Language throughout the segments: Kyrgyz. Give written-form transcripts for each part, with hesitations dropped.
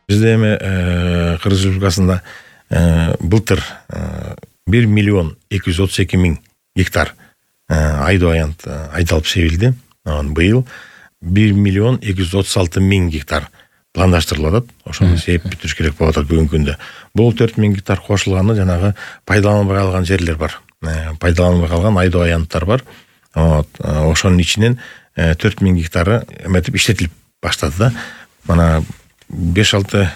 Бизде эми Кыргыз Республикасында былтыр 1.232.000 гектар айдоо аянт айдалып себилди. Быйыл 1.236.000 гектар пландаштырылып атат. Ошону себип бүтүрүш керек болуп атат бүгүнкү күндө. Бул 4.000 гектар кошулганы жанагы пайдаланбай калган жерлер бар. Пайдаланбай калган айдоо аянттар бар. Ошонун ичинен 4.000 гектары эметип иштетилип баштады да. Мана 5-6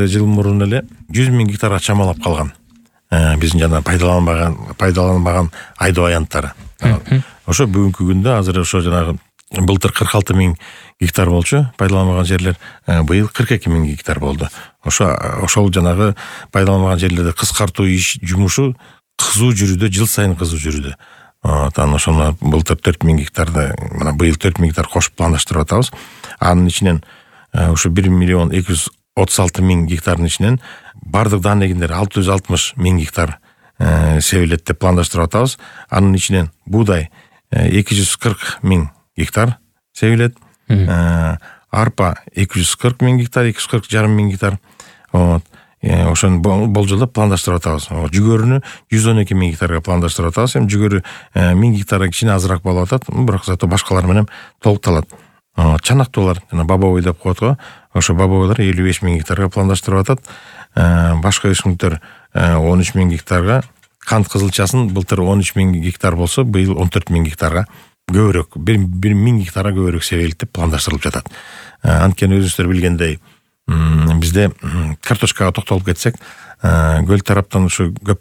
жыл мурун эле 100.000 гектарга чамалап калган. Биздин жана пайдаланбаган айдоо аянттары. Ошо бүгүнкү күндө азыр ошо жанагы былтыр 46.000 гектар болчу пайдаланбаган жерлер, быйыл 42.000 гектар болду. Ошол жанагы пайдаланбаган жерлерди кыскартуу жумушу кызуу жүрүүдө, жыл сайын кызуу жүрүүдө. Ошону былтыр 4.000 гектарды, мына быйыл 4.000 гектар кошуп пландаштырып атабыз. Анын ичинен ушу 1.236.000 гектардын ичинен бардык дан эгиндер 660.000 гектар себилет деп пландаштырып атабыз. Анын ичинен буудай 240.000 гектар себилет. Арпа 240.000 гектар, 240.500 гектар. Ошону болжолдоп пландаштырып атабыз. Жүгөрүнү 112.000 гектарга пландаштырып атабыз. Эми жүгөрү 1000 гектарга кичине азыраак болуп атат, бирок зато башкалар менен толукталат. Чанактуулар, жана бабовый деп коет го. Ошо бабовойлор 55.000 гектарга пландаштырып атат. Башка өсүмдүктөр 13.000 гектарга, кант кызылчасын былтыр 13.000 гектар болсо, быйыл 14.000 гектарга көбүрөөк, 1.000 гектарга көбүрөөк себилет деп пландаштырылып жатат. Анткени өзүңүздөр билгендей, бизде картошкага токтолуп кетсек, көл тараптан ушу көп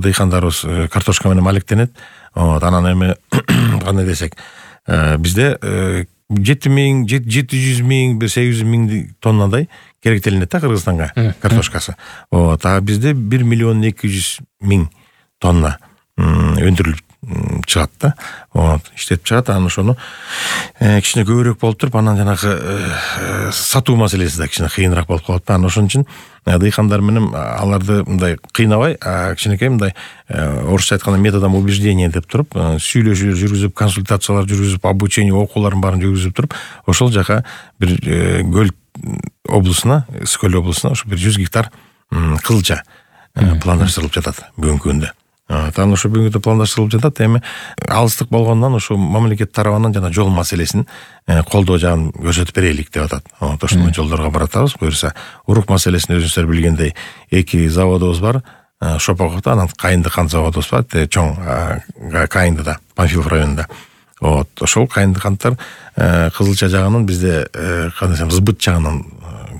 дыйкандарыбыз картошка менен алектенет. Анан эми кандай десек, бизде 700.000, 800.000 тоннадай керектелинет да Кыргызстанга картошкасы. А бизде 1.200.000 тонна өндүрүлүп чыгат да. Иштеп чыгат. Анан ошону кичине көбүрөөк болуп туруп, анан жанагы сатуу маселеси да кичине кыйыныраак болуп калат да. Анан ошон үчүн дыйкандар менен аларды мындай кыйнабай, кичинекей мындай орусча айтканда методом убеждения деп туруп, сүйлөшүүлөр жүргүзүп, консультациялар жүргүзүп, обучение окууларын баарын жүргүзүп туруп, ошол жака бир Көл облусуна, Ысык-Көл облусуна ошо бир 100 гектар кызылча пландаштырылып жатат бүгүнкү күндө. Анан ошо бүгүнкү пландаштырылып жатат. Эми алыстык болгондон ошо мамлекет тарабынан жана жол маселесин колдоо жагын көрсөтүп берелик деп атат. Ошондой жолдорго баратабыз. Буюрса, урук маселесин өзүңүздөр билгендей 2 заводубуз бар. Шопоковдо, анан Кайынды кант заводубуз бар. Чоң Кайындыда, Панфилов районунда. Ошол Кайынды канттар кызылча жагынан бизде кандай десем, сбыт жагынан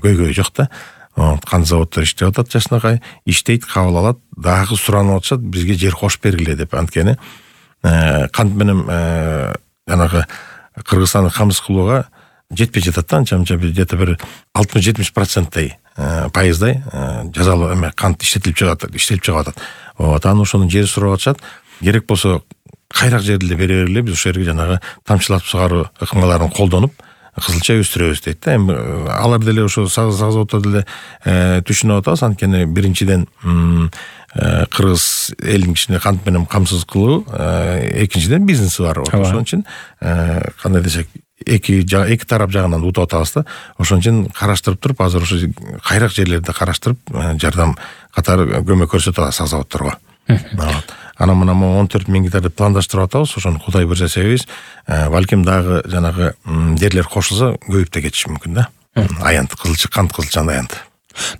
көйгөй жок да. Кант заводдор иштеп атат, жакшынакай иштейт, кабыл алат, дагы суранып атышат, бизге жер кошуп бергиле деп. Анткени кант менен жанагы Кыргызстандын камсыз кылууга жетпей жатат да, анча-мынча где-то бир 60-70% пайыздай жазалуу эме кант иштетип чыгып атат. Анан ошонун жери сурап атышат. Керек болсо кайрак жерди бере бергиле, биз ошол жерге жанагы тамчылатып сугаруу ыкмаларын колдонуп кызылча өстүрөбүз дейт да. Эми алар деле ошо заводдор деле түшүнүп атабыз. Анткени биринчиден кыргыз элин кичине кант менен камсыз кылуу, экинчиден бизнеси бар. Ошон үчүн кандай десек, эки тарап жагынан утуп атабыз да. Ошон үчүн караштырып туруп, азыр ошо кайрак жерлерди караштырып, жардам катары көмөк көрсөтүп атабыз заводдорго. Анан мына 14.000 гектарды пландаштырып атабыз. Ошону Кудай буйрса себебиз, балким дагы жанагы жерлер кошулса көбөйүп да кетиши мүмкүн да. Аянт кызылча, кант кызылчанын аянты.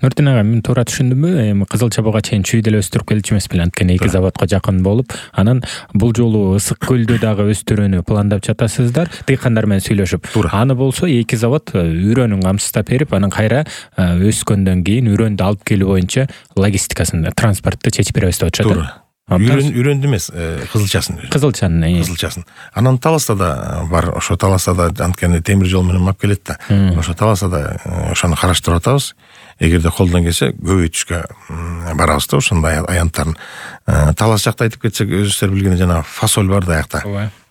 Нуртин ага, мен туура түшүндүмбү? Эми кызылча буга чейин чүй деле өстүрүп келчү эмес беле, анткени 2 заводко жакын болуп, анан бул жолу Ысык-Көлдө дагы өстүрүүнү пландап жатасыздар, дыйкандар менен сүйлөшүп. Аны болсо 2 завод үрөнүн камсыздап берип, анан кайра өскөндөн кийин үрөндү алып келүү боюнча логистикасын, транспортты чечип беребиз деп атышат. Үрөндү эмес, кызылчасын. Анан Таласта да бар. Ошо Таласта да анткени темир жол менен алып келет да. Ошо Таласта да ошону караштырып атабыз. Эгерде колдон келсе көбөйтүшкө барабыз да ошондой аянттарын. Талас жакта айтып кетсек, өзүңүздөр билгендей жана фасоль бар да аякта.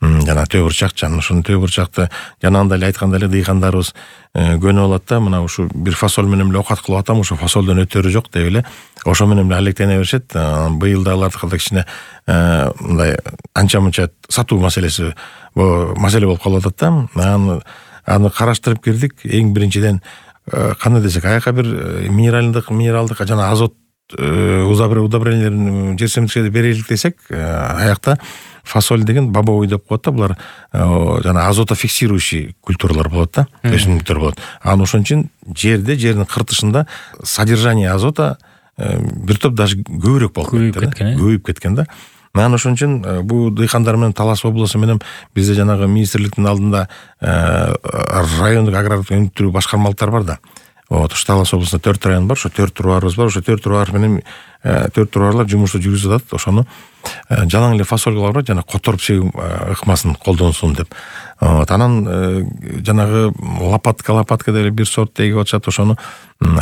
Жана төбүрчак, жана ошону төбүрчакты жанагындай эле айткандай эле дыйкандарыбыз көнүп алат да. Мына ушу бир фасоль менен эле окат кылып атам, ошо фасолдон өтөрү жок деп эле ошо менен эле алектене беришет. Быйыл да алардыкы кичине мындай анча-мынча сатуу маселеси маселе болуп калып атат да. Аны караштырып кирдик. Эң биринчиден кандай десек, аяка бир минералдык жана азот удобрениялерин жер семирткичке берелик десек, аякта фасоль деген бобовый деп коет да, булар жана азотофиксирующий культуралар болот да, өсүмдүктөр болот. Анан ошон үчүн жердин кыртышында содержание азота бир топ даже көбүрөөк болуп көбөйүп кеткен да. Анан ошон үчүн бул дыйкандар менен Талас облусу менен бизде жанагы министрликтин алдында райондук агрардык өнүктүрүү башкармалыктар бар да. Ош Талас облусунда 4 район бар, ошо 4 турбарыбыз бар. Ошо 4 турбар менен 4 турбарлар жумушту жүргүзүп атат. Ошону жалаң эле фасолькалар бар, жана которуп себүү ыкмасын колдонсун деп. Анан жанагы лопатка деле бир сорт эгип атышат. Ошону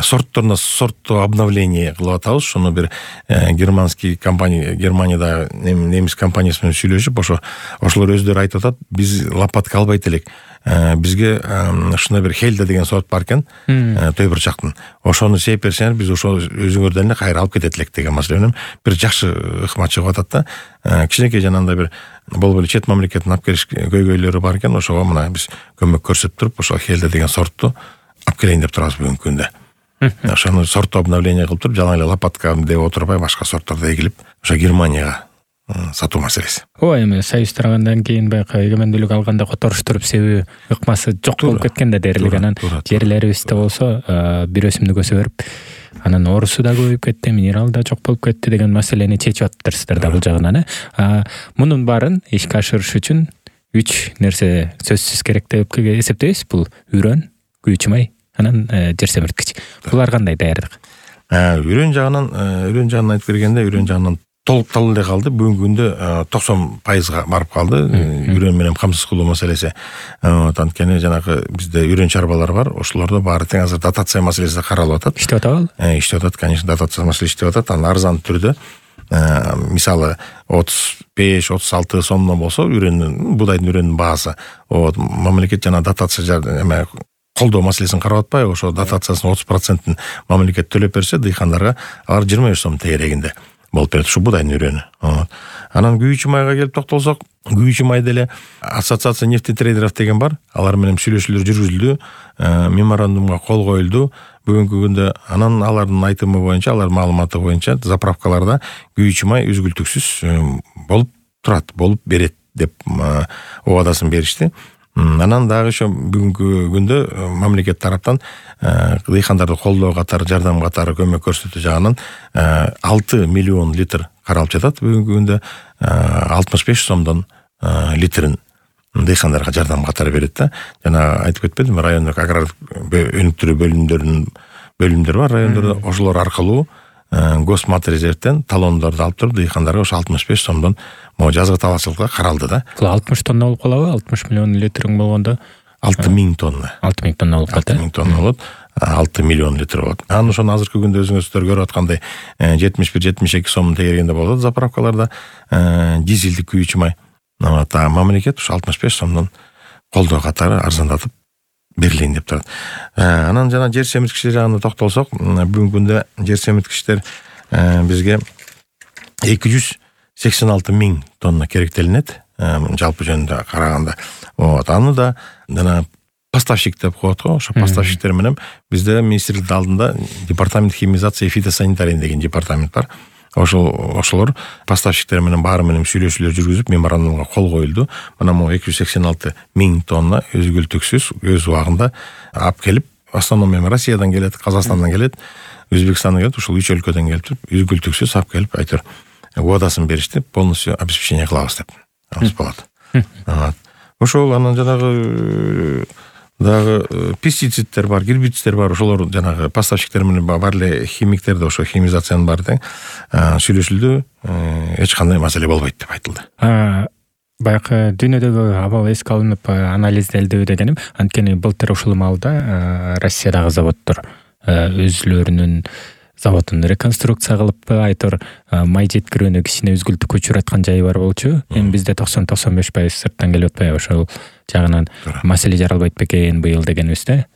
сортто обновление кылып атабыз. Ошону бир германский компания, Германияда немис компаниясы менен сүйлөшүп, ошолор өздөрү айтып атат, биз лопатка албайт элек. Бизге ушундай бир Хельда деген сорт бар экен, төй бурчактын. Ошону сээп берсеңер, биз ошо өзүңөрдөн эле кайра алып кетет элек деген маселе менен бир жакшы ыкма чыгып атат да. Кичинекей жанагындай бир болуп эле чет мамлекеттин алып келиш көйгөйлөрү бар экен. Ошого мына биз көмөк көрсөтүп туруп, ошо Хельда деген сортту алып келейин деп турабыз бүгүнкү күндө. Ошону сортто обновление кылып туруп, жалаң эле лопатка деп отурбай, башка сорттарды эгилип, ошо Германияга сатуу маселеси. Эми союз таргандан кийин баягы эгемендүүлүк алганда которуштуруп себүү ыкмасы жок болуп кеткен да дээрлик. Анан жерлерибизде болсо бир өсүмдүк өсө берип, анан орусу да көбөйүп кетти, минерал да жок болуп кетти деген маселени чечип атыптырсыздар да бул жагынан. Мунун баарын ишке ашырыш үчүн 3 нерсе сөзсүз керек деп эсептейбиз. Бул үрөн, күйүүчү май, анан жер семирткич. Булар кандай даярдык? Үрөн жагынан айтып бергенде, үрөн жагынан толукталуу эле калды. Бүгүнкү күндө 90%га барып калды. Үрөн менен камсыз кылуу маселеси. Анткени жанагы бизде үрөн чарбалар бар. Ошолордо баары тең азыр дотация маселеси каралып атат. Иштеп атабы? Иштеп атат, конечно, дотация маселеси иштеп атат. Анан арзан түрдө, мисалы 35-36 сомдон болсо будайдын үрөнүнүн баасы, мамлекет жана дотация колдоо маселесин карап атпайбы? Ошо дотациясынын 30%-ын мамлекет төлөп берсе, дыйкандарга алар 25 сом тегерегинде болуп берет, ушу будайдын үрөнү. Анан күйүүчү майга келип токтолсок, күйүүчү май деле ассоциация нефтетрейдеров деген бар. Алар менен сүйлөшүүлөр жүргүзүлдү, меморандумга кол коюлду. Бүгүнкү күндө анан алардын айтымы боюнча, алардын маалыматы боюнча заправкаларда күйүүчү май үзгүлтүксүз болуп турат, болуп берет деп убадасын беришти. Анан дагы ошо бүгүнкү күндө мамлекет тараптан дыйкандарды колдоо катары, жардам катары көмөк көрсөтүү жагынан 6 миллион литр каралып жатат. Бүгүнкү күндө 65 сомдон литрин дыйкандарга жардам катары берет да. Жана айтып кетпедимби, райондук агрардык өнүктүрүү бөлүмдөр бар райондордо. Ошолор аркылуу Госматрезервтен талондорду алып туруп, дыйкандарга ошо 65 сомдон жазгы талаачылыкка каралды да. Бул 60 тонна болуп калабы? 60 миллион литрин болгондо 6000 тонна. 6000 тонна болуп калат. 6000 тонна болот. 6 миллион литр болот. Анан ошону азыркы күндө өзүңүздөр көрүп аткандай 71-72 сом тегерегинде болот заправкаларда дизелдик күйүүчү май. Мамлекет ушу 65 сомдон колдоо катары арзандатып берилейин деп турат. Анан жана жер семирткичтер жагына токтолсок, бүгүнкү күндө жер семирткичтер бизге 286 000 тонна керектелинет, жалпы жөнүндө караганда. Аны да жана поставщик деп коет го. Ошо поставщиктер менен бизде министрликтин алдында департамент химизации и фитосанитария деген департамент бар. Ошолор поставщиктер менен баары менен сүйлөшүүлөр жүргүзүп, меморандумга кол коюлду. Мына 286 000 тонна үзгүлтүксүз өз убагында алып келип, основном эми Россиядан келет, Казакстандан келет, Өзбекстандан келет, ушул 3 өлкөдөн келип туруп, үзгүлтүксүз алып келип, айтор убадасын беришти, полностью обеспечение кылабыз деп. Болот. Ошол анан жанагы дагы пестициддер бар, гербициддер бар. Ошолор жанагы поставщиктер менен бар эле химиктер да ошо химизациянын баары тең сүйлөшүлдү. Эч кандай маселе болбойт деп айтылды. Баягы дүйнөдөгү абал эске алынып анализделди дегеним, анткени былтыр ушул маалда Россиядагы заводдор өзлөрүнүн заводун реконструкция кылып, айтор май жеткирүүнү кичине үзгүлтүккө учураткан жайы бар болчу. Эми бизде 90-95% сырттан келип атпайбы? Ошол жагынан маселе жаралбайт бекен быйыл дегенибизде.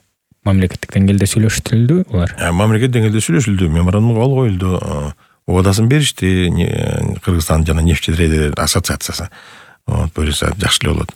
Мамлекеттик деңгээлде сүйлөшүлдү булар. Мамлекет деңгээлде сүйлөшүлдү, меморандумга кол коюлду. Убадасын беришти Кыргызстан жана нефтетрейдер ассоциациясы. Буюрса жакшы эле болот.